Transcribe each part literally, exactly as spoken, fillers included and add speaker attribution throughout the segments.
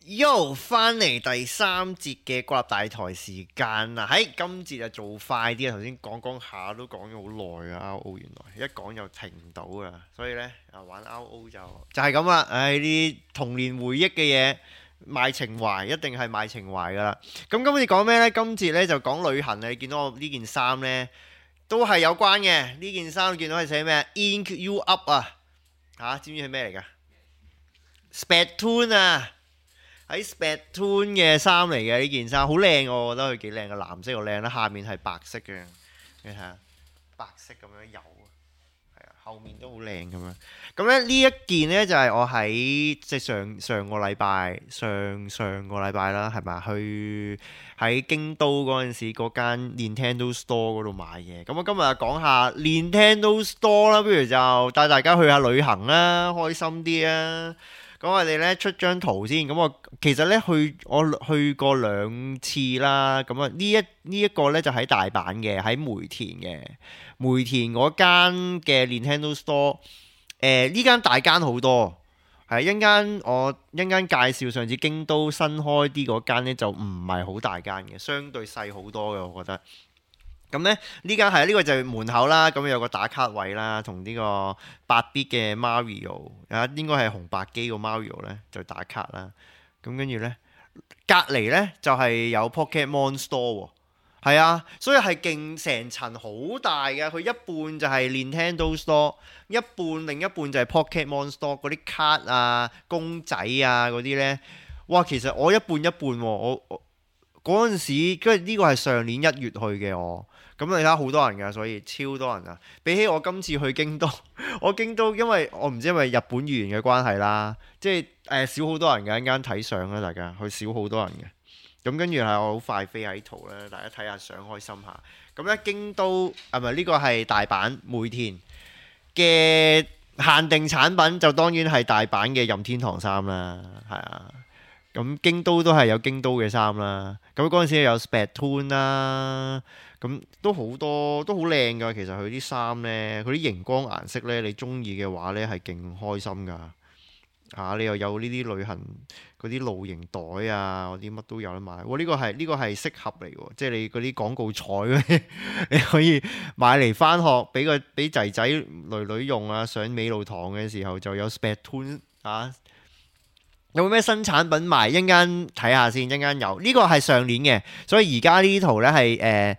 Speaker 1: Yo，翻嚟第三節嘅國立大台時間啦，喺今節就做快啲啊！頭先講講下都講咗好耐啊 ，R O 原來一講就停唔到啊，所以呢，啊玩 R O 就就係咁啦，唉啲童年回憶嘅嘢賣情懷，一定係賣情懷噶啦。咁今次講咩呢？今節呢就講旅行啊！你見到我呢件衫呢，都係有關嘅。呢件衫見到係寫咩 ？Ink you up 啊！嚇，知唔知係咩嚟㗎？Splatoon 啊！喺 Splatoon 嘅衫嚟嘅呢件衫，好靚我覺得佢幾靚嘅，藍色又靚啦，下面係白色嘅，你睇下白色咁樣有，係啊，後面都好靚咁樣。咁咧呢一件呢，就係、是、我喺即係上上個禮拜上上個禮拜啦，係咪去喺京都嗰陣時嗰間 Nintendo Store 嗰度買嘅。咁我今日就講下 Nintendo Store 啦，不如就帶大家去下旅行啦，開心啲啊！咁我哋咧出張圖先，咁我其實咧去我去過兩次啦，咁啊呢一呢一個咧就喺大阪嘅，喺梅田嘅梅田嗰間嘅 Nintendo Store，誒呢間大間好多，係一間我一間介紹上次京都新開啲嗰間咧就唔係好大間嘅，相對細好多嘅我覺得。咁咧呢間係呢個就係門口啦，咁有個打卡位啦，同呢個八 bit 嘅 Mario 啊，應該係紅白機個 Mario 咧就打卡啦。咁跟住咧隔離咧就係有 Pokemon Store 喎，係啊，所以係勁成層好大嘅，佢一半就係 Nintendo Store，一半另一半就係 Pokemon Store，嗰啲卡啊、公仔啊嗰啲咧，哇！其實我一半一半喎，我我嗰陣時，跟住呢個係上年一月去嘅我。咁你睇下好多人㗎，所以超多人啊！比起我今次去京都，我京都因為我唔知係咪日本語言嘅關係啦，即係誒、呃、少好多人嘅，一間睇相啦，大家去少好多人嘅。咁跟住係我好快飛喺圖啦，大家睇下相開心下。咁咧京都係咪呢個係大阪梅田嘅限定產品？就當然係大阪嘅任天堂衫啦，係啊。咁京都都係有京都嘅衫啦。咁嗰陣時有 Splatoon 啦。咁都好多都好靚㗎，其實佢啲衫呢，佢啲熒光顏色呢，你中意嘅話呢，係勁開心㗎嚇、啊！你又有呢啲旅行嗰啲露營袋啊，嗰啲乜都有得買。哇！呢、呢個係呢、呢個係適合嚟喎，即係你嗰啲廣告彩嗰啲，你可以買嚟返學，俾個俾仔仔女女用啊。上美露堂嘅時候就有 Splatoon 啊！有冇咩新產品賣？一陣間睇下先，一陣間有呢、呢個係上年嘅，所以而家呢圖呢係誒。呃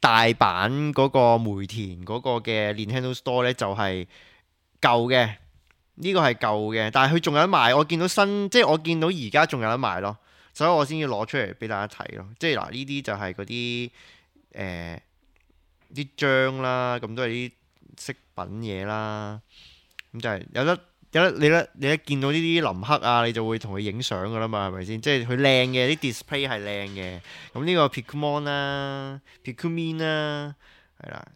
Speaker 1: 大阪嗰個梅田嗰個嘅 Nintendo Store 咧就係舊嘅，呢個係舊嘅，但係佢仲有得賣。我見到新，即係我見到而家仲有得賣咯，所以我先要攞出嚟俾大家睇咯。即係嗱，呢啲就係嗰啲誒啲章啦，咁都係啲飾品嘢啦，咁就係有得。有得你咧，你一見到呢啲林克啊，你就會同佢影相噶啦嘛，係咪先？即係佢靚嘅，啲 display 係靚嘅。咁呢個 Pokemon 啦 Pikmin 啦，係啦。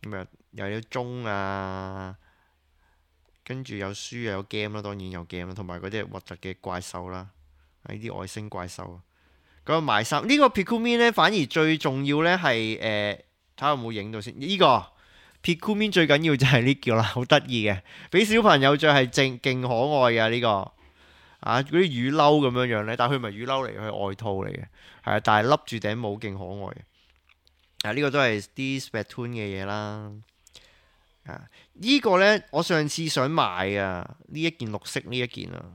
Speaker 1: 咁啊又有鐘啊，跟住有書又有 game 啦，當然有 game 啦，同埋嗰啲核突嘅怪獸啦，呢啲外星怪獸。咁啊賣衫，呢個 Pikmin 咧反而最重要咧係誒，睇下有冇影到先。呢個。Pikmin 最緊要就係呢個啦，好得意嘅，俾小朋友着係正勁可愛嘅呢、這個啊，嗰啲雨褸咁樣樣咧，但係佢唔係雨褸嚟，佢係外套嚟嘅，係啊，但係笠住頂帽勁可愛嘅。啊，呢、這個都係啲 Splatoon 嘅嘢啦。啊，呢、這個呢，我上次想買啊，呢一件綠色呢一件啊。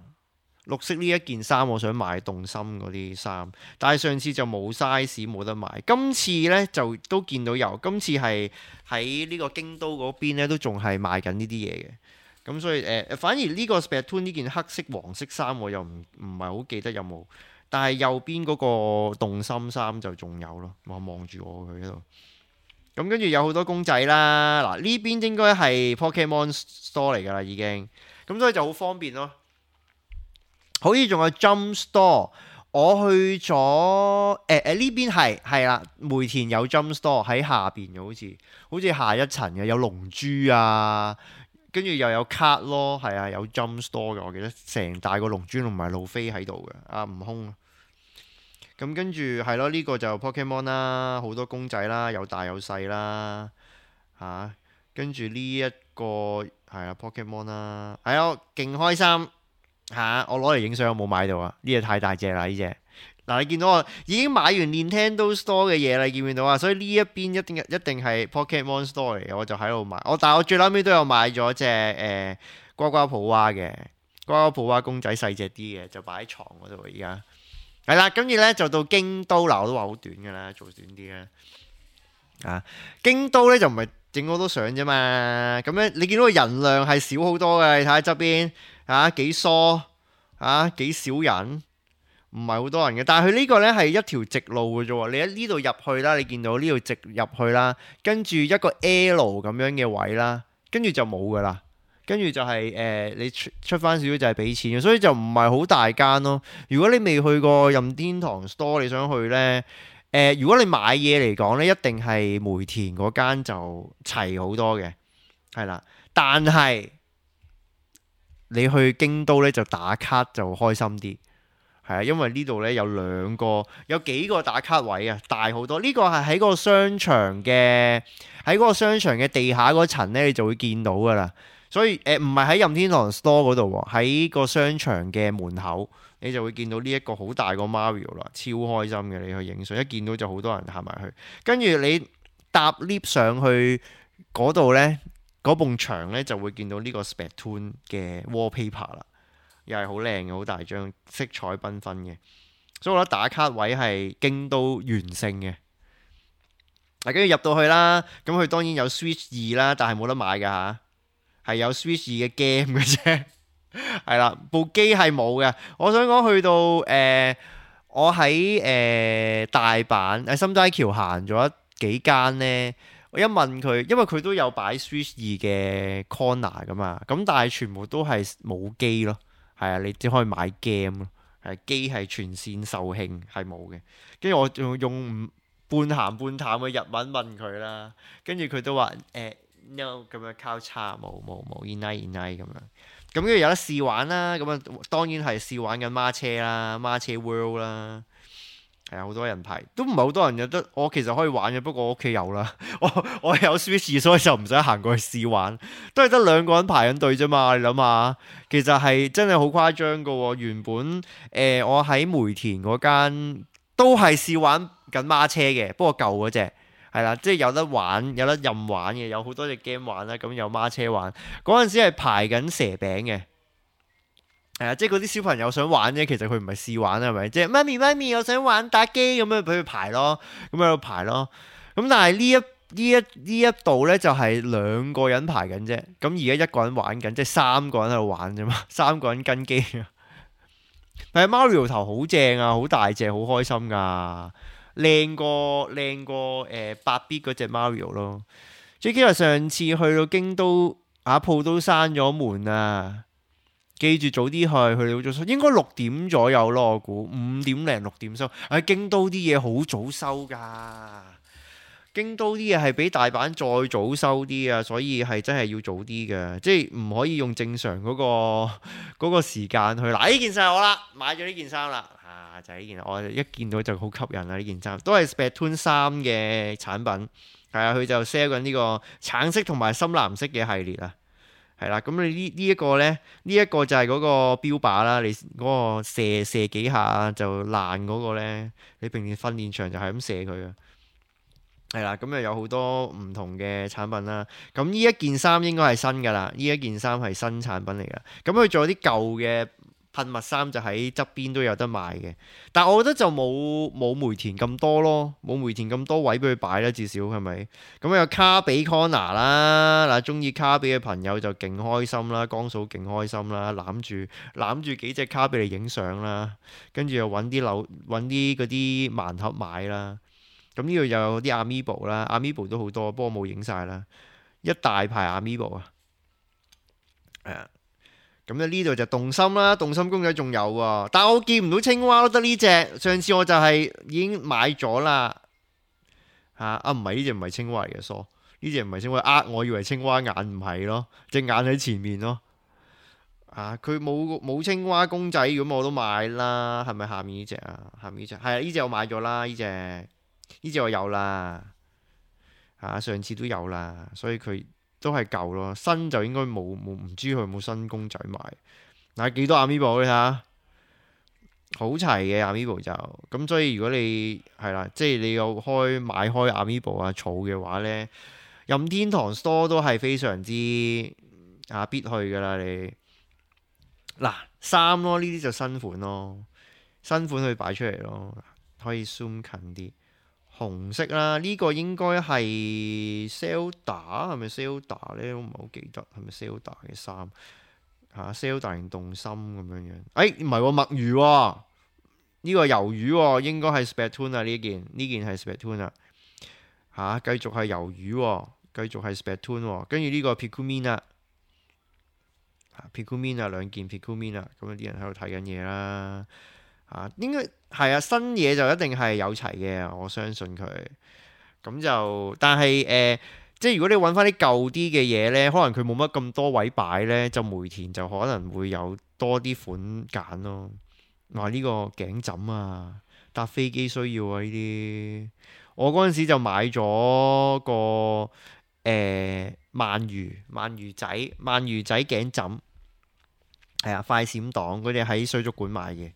Speaker 1: 綠色呢一件衫，我想買動心嗰啲衫，但係上次就冇 size 冇得買。今次呢，就都見到有，今次係喺呢個京都嗰邊呢，都仲係賣緊呢啲嘢嘅。咁所以誒、呃，反而呢個 Splatoon 呢件黑色黃色衫我又唔唔係好記得有冇，但係右邊嗰個動心衫就仲有咯。我望住我佢喺度。咁跟住有好多公仔啦，嗱呢邊應該係 Pokemon Store 嚟㗎啦已經，咁所以就好方便咯。好似仲有 Jump Store，我去咗誒誒呢邊係係啦，梅田有 Jump Store 喺下邊嘅，好似好似下一層嘅有龍珠啊，跟住又有卡咯，係啊有 Jump Store 嘅，我記得成大個龍珠同埋路飛喺度嘅，啊悟空啊，咁跟住係咯，呢個就 Pokemon 啦，好多公仔啦，有大有細啦嚇，跟住呢一個係啊 Pokemon 啦，係啊勁開心。嚇、啊！我攞嚟影相，我冇買到啊！呢隻太大隻啦，呢隻。嗱，你見到我已經買完 Nintendo Store 嘅嘢啦，你見唔見到啊？所以呢一邊一定一定係 Pokémon Store 嚟嘅，我就喺度買。我但係我最撚尾都有買咗隻誒呱呱普娃嘅呱呱普娃公仔，細隻啲嘅，就擺喺床嗰度。而家係啦，跟住咧就到京都啦，我都話好短㗎啦，做短啲啦。啊，京都咧就唔係整好多相啫嘛。咁咧你見到個人量係少好多嘅，你睇下側邊啊幾疏啊幾少人。唔係好多人嘅，但係佢呢個呢係一條直路嘅啫喎。你喺呢度入去啦，你見到呢度直入去啦，跟住一個 L 咁樣嘅位啦，跟住就冇噶啦。跟住就係、是、誒、呃，你出出翻少少就係俾錢嘅，所以就唔係好大間咯。如果你未去過任天堂 Store，你想去呢？誒、呃，如果你買嘢嚟講呢，一定係梅田嗰間就齊好多嘅，係啦。但係你去京都呢，就打卡就開心啲。係啊，因為呢度呢有兩個，有幾個打卡位啊，大好多。呢、這個係喺嗰個商場嘅，喺嗰個商場嘅地下嗰層呢，你就會見到噶啦。所以誒，唔係喺任天堂 Store 嗰度喎，喺個商場嘅門口，你就會見到呢一個好大個 Mario 啦，超開心嘅。你去影相，一見到就好多人行埋去。跟住你搭 lift 上去嗰度呢，嗰埲牆呢就會見到呢個 Splatoon 嘅 wallpaper 啦。又係好靚嘅，好大張，色彩繽紛嘅，所以我覺得打卡位係京都完勝嘅。嗱，跟住入到去啦，咁佢當然有 Switch 二啦，但係冇得買㗎吓，係有 Switch 二嘅 game 嘅啫，係啦，部機係冇嘅。我想講去到誒、呃，我喺誒、呃、大阪喺心齋橋行咗幾間呢。我一問佢，因為佢都有擺 Switch 二嘅 corner 㗎嘛，咁但係全部都係冇機咯。係啊，你只可以買 game 咯，係機係全線售罄，係冇嘅。跟住我仲用半鹹半淡嘅日文問佢啦，跟住佢都話誒 no 咁樣交叉冇冇冇 inai inai 咁樣。咁跟住有得試玩啦，咁啊當然係試玩緊孖車啦，孖車 world 啦。係啊，好多人排，都唔係好多人有得。我其實可以玩嘅，不過我屋企有啦。我我有 Switch，所以就唔使行過去試玩，都係得兩個人排緊隊啫嘛。你諗下，其實係真係好誇張噶喎。原本誒、呃、我喺梅田嗰間都係試玩緊孖車嘅，不過舊嗰隻係啦，即係有得玩，有得任玩嘅，有好多隻 game 玩啦。咁有孖車玩嗰陣時係排緊蛇餅嘅。係啊，即係嗰啲小朋友想玩啫，其實佢唔係試玩啊，係咪？即係媽咪媽咪，我想玩打機咁樣俾佢排咯，咁喺度排咯。咁但係呢一呢一呢一度咧就係兩個人排緊啫。咁而家一個人玩緊，即係三個人喺度玩啫嘛，三個人跟機啊。但係 Mario 頭好正啊，好大隻，好開心噶，靚過靚過誒八 bit 嗰隻 Mario 咯。最記得上次去到京都，阿鋪都閂咗門啊。記住早啲去，佢哋好早收，應該六點左右咯，我估五點零六點收。喺京都啲嘢好早收㗎，京都啲嘢係比大阪再早收啲啊，所以係真係要早啲嘅，即係唔可以用正常嗰個嗰個時間去。嗱，呢件衫係我啦，買咗呢件衫啦，啊就係呢件，我一見到就好吸引啊！呢件衫都係 Splatoon 三嘅產品，係啊，佢就 sell 緊呢個橙色同埋深藍色嘅系列啊。係啦，咁你呢呢一個呢，呢、這、一個就係嗰個標靶啦。你嗰個射射幾下就爛嗰個呢，你平時訓練場就係咁射佢嘅。係啦，咁又有好多唔同嘅產品啦。咁呢一件衫應該係新㗎啦，呢一件衫係新產品嚟㗎。咁佢仲有啲舊嘅噴墨衫就喺側邊都有得賣嘅，但係我覺得就冇冇梅田咁多咯，冇梅田咁多位俾佢擺啦，至少係咪？咁有卡比 corner 啦，嗱，中意卡比嘅朋友就勁開心啦，江嫂勁開心啦，攬住攬住幾隻卡比嚟影相啦，跟住又揾啲樓揾啲嗰啲盲盒買啦。咁呢度又有啲 Amiibo 啦 ，Amiibo 都好多，不過冇影晒啦，一大排 Amiibo 啊，係啊。咁咧呢度就動心啦，動心公仔仲有喎，但係我見唔到青蛙咯，得呢隻。上次我就係已經買咗啦，嚇啊，唔係呢隻唔係青蛙嚟嘅，疏呢隻唔係青蛙，呃我以為青蛙眼，唔係咯，隻眼喺前面咯。啊，佢冇冇青蛙公仔，咁我都買啦，係咪下面呢隻啊？下面呢隻係啊，呢隻我買咗啦，呢隻呢隻我有啦，嚇上次都有啦，所以佢。都係舊咯，新就應該冇冇，唔知佢有冇新公仔賣。嗱幾多 Amiibo 你睇下，好齊嘅 Amiibo 就咁，所以如果你係啦，即係你有開買開 Amiibo 啊儲嘅話呢，任天堂 Store 都係非常之啊必去噶啦你。嗱衫咯，呢啲就新款咯，新款去擺出嚟咯，可以 zoom 近啲。紅色啦，呢、這個應該係 Zelda 係咪 Zelda 咧？我唔係好記得係咪 Zelda 嘅衫嚇 Zelda 定動心咁樣樣。誒唔係喎，墨魚喎、哦，呢、這個魷魚喎、哦，應該係 Splatoon 啊呢件，呢件係 Splatoon 啊嚇，繼續係魷魚喎、哦，繼續係 Splatoon 喎，跟住呢個 Pikmin 啊。Pikmin 啊，兩件 Pikmin 啊，咁有啲人喺度睇緊嘢啦，啊，應該係啊，新嘢就一定係有齊嘅，我相信佢。咁就，但係誒、呃，即係如果你揾翻啲舊啲嘅嘢呢，可能佢冇乜咁多位擺呢，就梅田就可能會有多啲款揀咯。話呢個頸枕啊，搭飛機需要啊呢啲，我嗰陣時就買咗個誒、呃、鰻魚鰻魚仔鰻魚仔頸枕。係啊，快閃黨嗰啲喺水族館買嘅，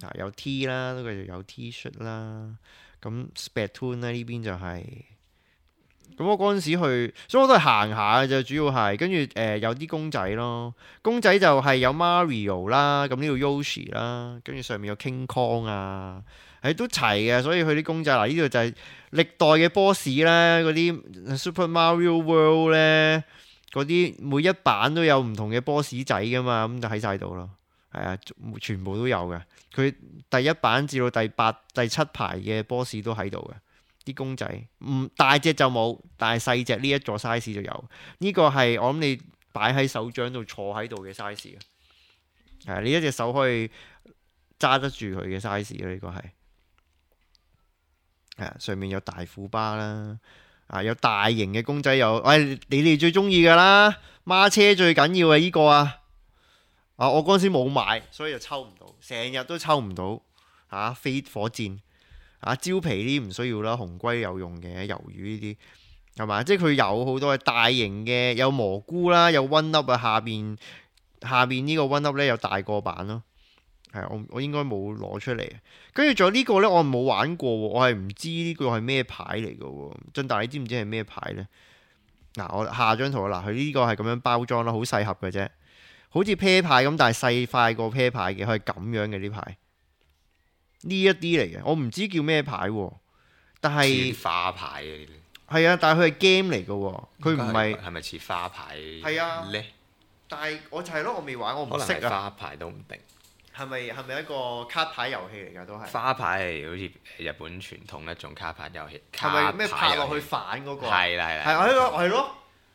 Speaker 1: 啊有 T 啦，都繼續有 T 恤啦，咁 Splatoon 咧呢邊就係、是，咁我嗰陣時去，所以我都係行下嘅啫，主要係跟住誒有啲公仔咯，公仔就係有 Mario 啦，咁呢度 Yoshi 啦，跟住上面有 King Kong 啊，係都齊嘅，所以佢啲公仔嗱呢度就係歷代嘅 boss 咧，嗰啲 Super Mario World 咧。嗰啲每一版都有唔同嘅 boss 仔噶嘛，咁就喺晒度咯。係啊，全部都有嘅。佢第一版至到第八、第七排嘅 boss 都喺度嘅。啲公仔唔大隻就冇，但係細隻呢一座 size 就有。呢、這個係我諗你擺喺手掌度坐喺度嘅 size 啊。係啊，你一隻手可以揸得住佢嘅 size 啊。呢個係係啊，上面有大虎巴啦。啊！有大型嘅公仔有，喂、哎，你哋最中意噶啦，孖車最緊要係呢個啊！啊，我嗰陣時冇買，所以就抽唔到，成日都抽唔到。嚇、啊，飛火箭，啊，蕉皮呢啲唔需要啦，紅龜有用嘅，魷魚呢啲係嘛？即係佢有好多大型嘅，有蘑菇啦，有 One Up 啊，下邊下邊呢個 One Up 咧有大個版咯。係我我應該冇攞出嚟，跟住仲有呢個呢，我冇玩過，我係唔知呢個係咩牌嚟嘅喎。俊達，你知唔知係咩牌呢？嗱、啊，我下張圖啦，佢呢個係咁樣包裝啦，好細盒嘅啫，好似啤牌咁，但係細塊過啤牌嘅，佢係咁樣嘅呢牌。呢一啲嚟嘅，我唔知叫咩牌喎，但係
Speaker 2: 似花牌嘅呢
Speaker 1: 啲。係啊，但係佢係 game 嚟嘅喎，佢唔係
Speaker 2: 係咪似花牌？
Speaker 1: 係啊，呢但係我就係咯，我未玩，我唔識啊。
Speaker 2: 花牌都唔定。
Speaker 1: 係咪係咪一個卡牌遊戲嚟㗎？都係
Speaker 2: 花牌係好似日本傳統一種卡牌遊戲。
Speaker 1: 係咪咩拍落去反嗰個？
Speaker 2: 係啦係啦。
Speaker 1: 係啊，呢個係咯。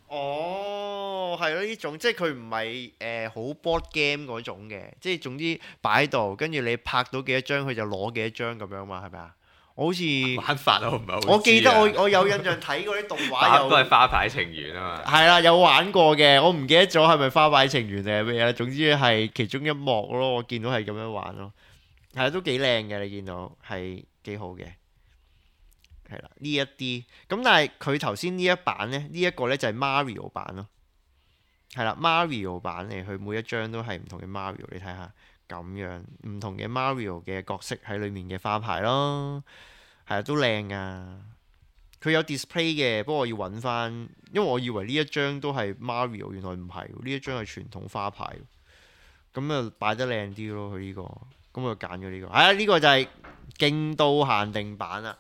Speaker 1: 哦，係咯，呢種即係佢唔係誒好 board game 嗰種嘅，即係總之擺喺度，跟住你拍到幾多張，佢就攞幾多張咁樣嘛，係咪啊？我好似
Speaker 2: 玩法我唔係好知啊。
Speaker 1: 我記得我我有印象睇過啲動畫有
Speaker 2: 都係花牌情緣啊嘛。
Speaker 1: 係啦，有玩過嘅，我唔記得咗係咪花牌情緣定係咩啦。總之係其中一幕咯，我見到係咁樣玩咯。係都幾靚嘅，你見到係幾好嘅。係啦，呢一啲咁，但係佢頭先呢一版呢，呢、這、一個呢就係 Mario 版咯。係啦 ，Mario 版嚟，佢每一張都係唔同嘅 Mario，你睇下。咁樣唔同嘅 Mario 嘅角色喺裏面嘅花牌咯，係啊，都靚啊！佢有 display 嘅，不過我要揾翻，因為我以為呢一張都係 Mario，原來唔係，呢一張係傳統花牌，咁啊擺得靚啲咯。佢呢、這個，咁我就揀咗呢個。係啊，呢個就係京都限定版啦。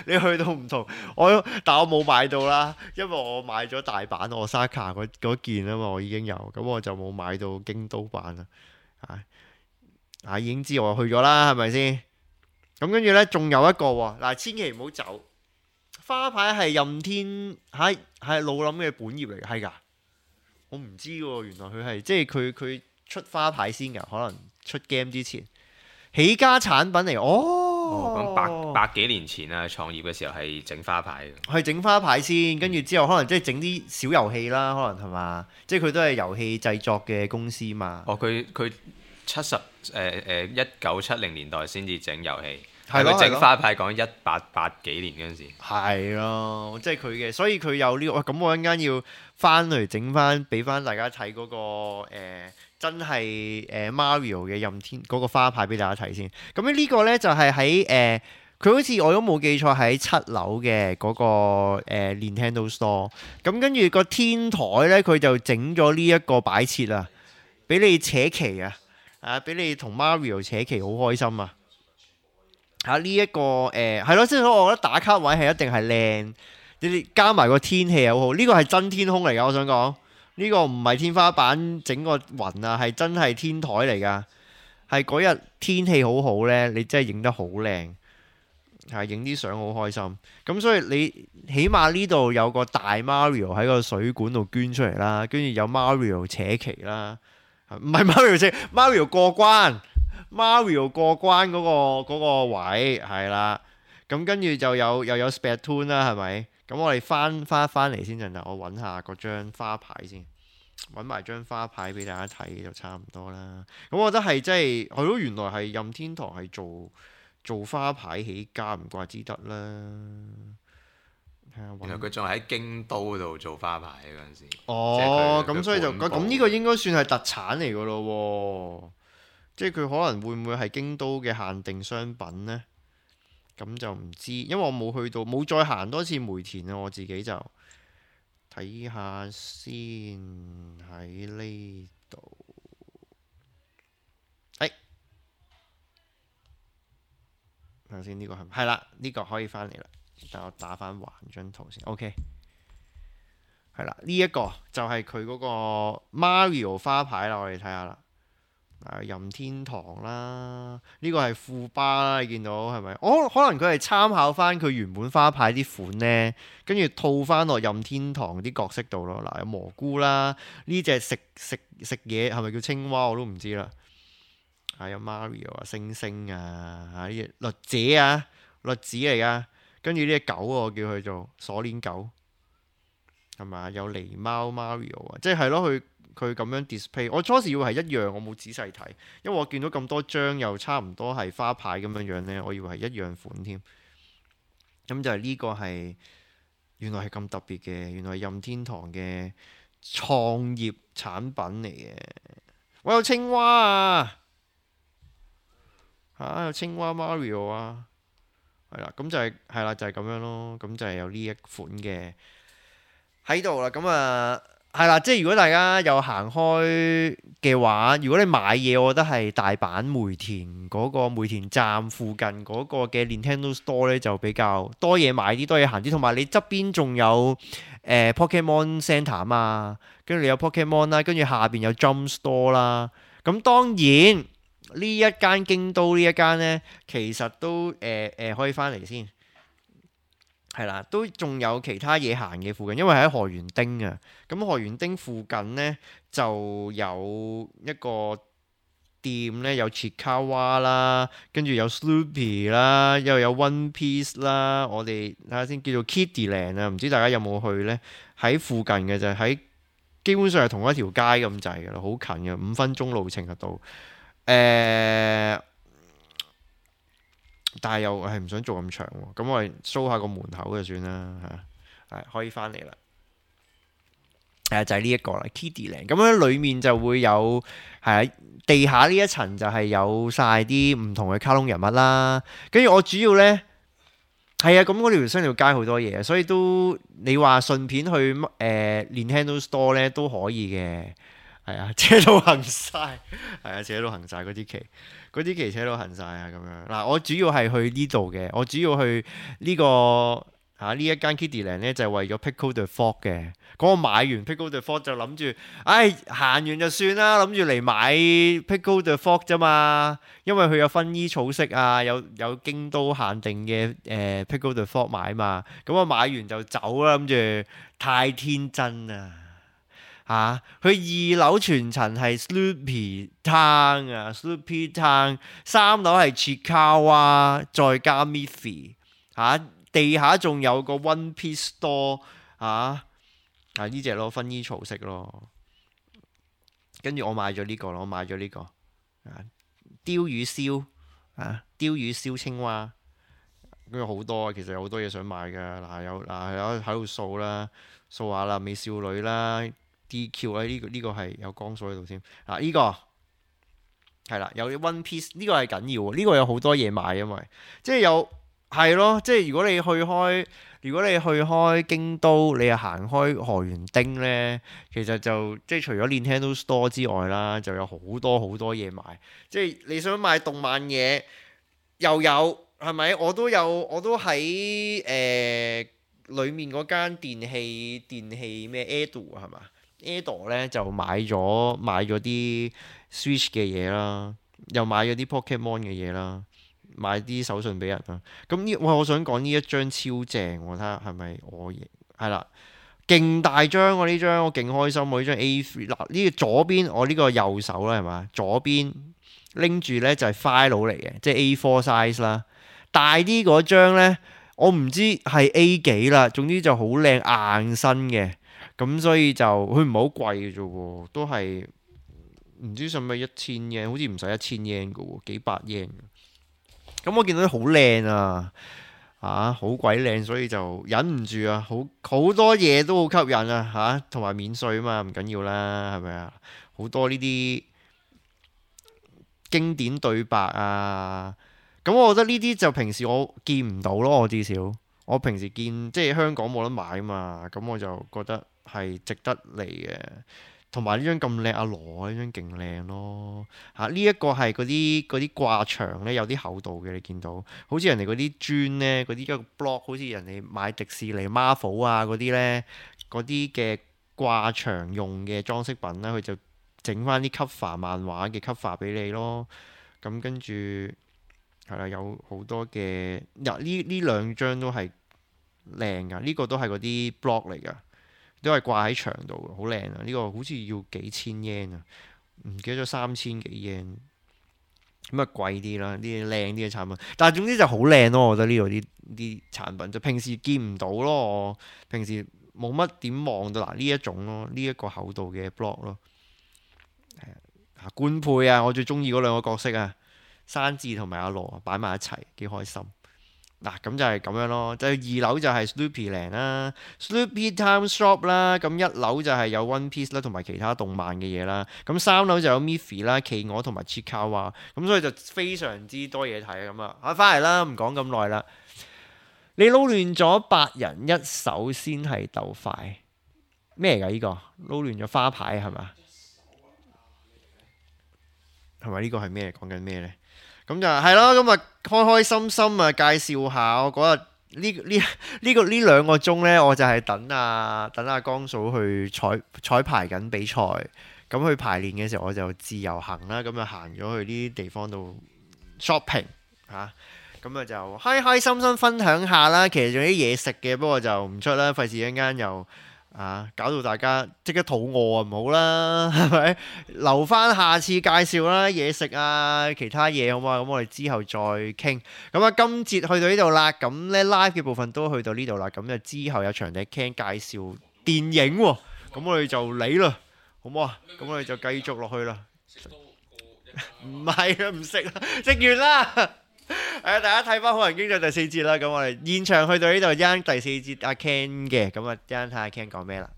Speaker 1: 你去到唔同，我但我冇買到啦，因為我買咗大阪 Osaka 嗰嗰件啊嘛，我已經有，咁我就冇買到京都版啦。啊，啊已經知我去咗啦，係咪先？咁跟住呢，仲有一個喎，嗱，千祈唔好走。花牌係任天喺係老林嘅本業嚟嘅，係㗎。我唔知喎，原來佢係即係佢佢出花牌先㗎，可能出 game 之前起家產品嚟。哦，
Speaker 2: 咁百百幾年前啊，創業嘅時候係整花牌嘅，
Speaker 1: 係整花牌先，跟住之後可能即係整啲小遊戲啦，可能係嘛？即係佢都係遊戲製作嘅公司嘛。
Speaker 2: 哦，佢佢七十誒誒一九七零年代先至整遊戲，係佢整
Speaker 1: 係咯係咯，
Speaker 2: 花牌講一八八幾年嗰陣時，
Speaker 1: 係咯，即係佢嘅，所以佢有呢個。哇咁我一陣間要翻嚟整翻，俾翻大家睇嗰個誒真係誒 Mario 嘅任天嗰個花牌俾大家睇先。咁咧呢個咧就係喺誒。佢好似我都冇記錯喺七樓嘅嗰個誒 Nintendo Store，咁跟住個天台咧佢就整咗呢一個擺設啊，俾你扯旗啊，啊俾你同 Mario 扯旗好開心啊！嚇呢一個誒係咯，即係所以我覺得打卡位係一定係靚，你哋加埋個天氣又好好，呢個係真天空嚟㗎，我想講呢個唔係天花板整個雲啊，係真係天台嚟㗎，係嗰日天氣好好咧，你真係影得好靚。係影啲相好開心，咁所以你起碼呢度有個大 Mario 喺個水管度捐出嚟啦，跟住有 Mario 扯旗啦，唔係 Mario 扯 Mario 過關，Mario 過關嗰個嗰個位係啦，咁跟住就有又有 Splatoon 啦，係咪？咁我哋翻翻翻嚟先陣，我揾下嗰張花牌先，揾埋張花牌俾大家睇就差唔多啦。咁我覺得係真係係咯，原來係任天堂係做。做花牌起家唔怪之得啦。
Speaker 2: 原來佢仲喺京都度做花牌嗰陣時。
Speaker 1: 哦，咁所以就
Speaker 2: 咁
Speaker 1: 咁呢個應該算係特產嚟噶咯喎。即係佢可能會唔會係京都嘅限定商品呢？咁就唔知，因為我冇去到，冇再行多次梅田啊。我自己就睇下先喺呢度。睇下先，呢個係係啦，呢個可以翻嚟啦。等我打翻橫張圖先。OK，係啦，呢一個就係佢嗰個 Mario 花牌啦。我哋睇下啦，任天堂啦，呢個係富巴啦，你見到係咪？哦，可能佢係參考翻佢原本花牌啲款呢，跟住套翻落任天堂啲角色度咯。嗱，有蘑菇啦，呢隻食食食嘢係咪叫青蛙我都唔知啦。係有 Mario 啊，星星啊，嚇呢隻栗子啊，栗子嚟噶。跟住呢隻狗我叫佢做鎖鏈狗，係咪？有狸貓 Mario 啊，即係係咯，佢佢咁樣 display。我初時以為係一樣，我冇仔細睇，因為我見到咁多張又差唔多係花牌咁樣樣呢，我以為係一樣款添。咁就係呢個係原來係咁特別嘅，原來係任天堂嘅創業產品嚟嘅。我有青蛙啊！嚇、啊、有青蛙 Mario 啊，係啦，咁就係係啦，就係、是、咁樣咯，咁就係有呢一款嘅喺度啦。咁啊係啦，即係如果大家有行開嘅話，如果你買嘢，我覺得係大阪梅田嗰個梅田站附近嗰個嘅 Nintendo Store 咧就比較多嘢買啲，多嘢行啲，同埋你側邊仲有誒、呃、Pokemon Center 啊嘛，跟住你有 Pokemon 啦，跟住下邊有 Jump Store 啦，咁當然。呢一間京都呢一間呢，其實都誒誒、呃呃、可以翻嚟先，係啦，都仲有其他嘢行嘅附近，因為喺河原町啊。咁河原町附近呢，就有一個店呢，有 Chikawa 啦，跟住有 Snoopy 啦，又有 One Piece 啦。我哋睇下先，叫做 Kiddieland 啊，唔知大家有冇去呢？喺附近嘅就喺基本上係同一條街咁滯㗎啦，好近嘅，五分鐘路程就到。誒、呃，但係又係唔想做咁長喎，咁我哋 show 下個門口就算啦嚇，係可以翻嚟啦。係啊，就係呢一個啦 Kiddieland。咁樣裡面就會有係啊，地下呢一層就係有晒啲唔同嘅卡通人物啦。跟住我主要呢，係啊，咁嗰條新條街好多嘢，所以都你話順便去誒、呃、Nintendo Store 呢都可以嘅。係啊，車到行晒，係啊，車到行晒嗰啲旗，嗰啲旗車到行晒啊咁樣。嗱，我主要係去呢度嘅，我主要去呢、呢個嚇呢一間 Kiddieland 咧，就係、係、為咗 Pickle the Frog 嘅。嗰個買完 Pickle the Frog 就諗住，唉行完就算啦，諗住嚟買 Pickle the Frog 啫嘛，因為佢有薰衣草色啊，有有京都限定嘅誒、呃、Pickle the Frog 買嘛。咁我買完就走啦，諗住太天真啦。嚇！佢、啊、二樓全層係 Snoopy Town 啊 ，Snoopy Town， 三樓係 Chikawa，再加 Miffy 嚇，地下仲有個 One Piece Store 嚇，啊呢隻咯，薰衣草色咯，跟住我買咗呢個咯，我買咗呢、呢個啊鯛魚燒啊鯛魚燒青蛙咁有好多，其實有好多嘢想買㗎。嗱有嗱有喺度掃啦，掃下啦，美少女啦，D Q 啊呢個呢個係有光數喺度添。嗱呢個係啦，有 One Piece 呢個係緊要喎，呢個有好多嘢買，因為即係有係咯，即係如果你去開。如果你去開京都，你又行開河原町呢，其實就即係除咗 Nintendo Store 之外啦，就有好多好多嘢買。即係你想買動漫嘢又有係咪？我都有，我都喺誒裡面嗰間電器電器咩 Edo 係嘛 Edo 咧就買咗買咗啲 Switch 嘅嘢啦，又買咗啲 Pokemon 嘅嘢啦。買啲手信俾人啦，咁呢，哇！我想講呢一張超正，我睇下係咪我贏？係啦，勁大張喎呢張，我勁開心喎呢張 A 三。嗱呢個左邊我呢個右手啦係嘛，左邊拎住呢就係 file 嚟嘅，即係 A 四 size 啦。大啲嗰張呢，我唔知係 A 幾啦，總之就好靚硬身嘅，咁所以就佢唔係好貴嘅啫喎，都係唔知使唔使一千 yen，好似唔使一千 yen 嘅喎，幾百 yen。咁我見到啲好靚啊，啊好鬼靚，所以就忍唔住啊，好好多嘢都好吸引啊，嚇同埋免稅啊嘛，唔緊要啦，係咪啊？好多呢啲經典對白啊，咁我覺得呢啲就平時我見唔到咯，我至少我平時見即係香港冇得買啊嘛，咁我就覺得係值得嚟嘅。同埋呢張咁靚，阿羅呢張勁靚咯嚇！呢、這、一個係嗰啲嗰啲掛牆咧，有啲厚度嘅，你見到好似人哋嗰啲磚咧，嗰啲一個 block，好似人哋買迪士尼 Marvel 啊嗰啲咧，嗰啲嘅掛牆用嘅裝飾品啦，佢就整翻啲 cover 漫畫嘅 cover 俾你咯。咁跟住係啦，有好多嘅嗱呢呢兩張都係靚噶，呢、這個都係嗰啲 block 嚟噶。都係掛喺牆度，好靚啊！呢、這個好似要幾千 yen 啊，唔記得咗三千幾 yen，咁啊貴啲啦，啲靚啲嘅產品。但係總之就好靚咯，我覺得呢度啲啲產品就平時見唔到咯，我平時冇乜點望到嗱呢一種咯，呢、這、一個厚度嘅 block 咯。係啊，官配啊，我最中意嗰兩個角色啊，山治同埋阿羅擺埋一齊，幾開心。嗱咁就係咁樣咯，就係、二樓就係 Snoopy Land 啦 ，Snoopy Time Shop 啦，咁一樓就係有 One Piece 啦，同埋其他動漫嘅嘢啦，咁三樓就有 Miffy 啦、企鵝同埋 Chikawa，咁所以就非常之多嘢睇咁啊！啊，翻嚟啦，唔講咁耐啦，你撈亂咗八人一手先係鬥快，咩嚟㗎？呢、呢個撈亂咗花牌係咪？係咪呢個係咩？講緊咩呢？咁就係咯，咁啊開開心心啊介紹下我嗰日呢呢呢個呢兩個鐘呢，我就係等啊等阿江嫂去彩彩排緊比賽，咁去排練嘅時候我就自由行啦，咁就行咗去呢啲地方度 shopping 嚇，咁啊就開開心心分享下啦。其實仲有啲嘢食嘅，不過就唔出啦，費事一陣間又啊搞到大家即刻肚餓啊，唔好啦，係咪？留翻下次介紹啦，嘢食啊，其他嘢好嘛？咁我哋之後再傾。咁啊，今節去到呢度啦，咁咧 live 嘅部分都去到呢度啦，咁就之後有場地傾介紹電影喎，咁我哋就嚟啦，好唔好啊？咁我哋就繼續落去啦。唔係啊，唔食啦，食完啦。誒，大家睇翻《好人經濟》第四節啦，咁我哋現場去到呢度，一陣第四節阿 Ken 嘅，咁啊一陣睇下 Ken 講咩啦。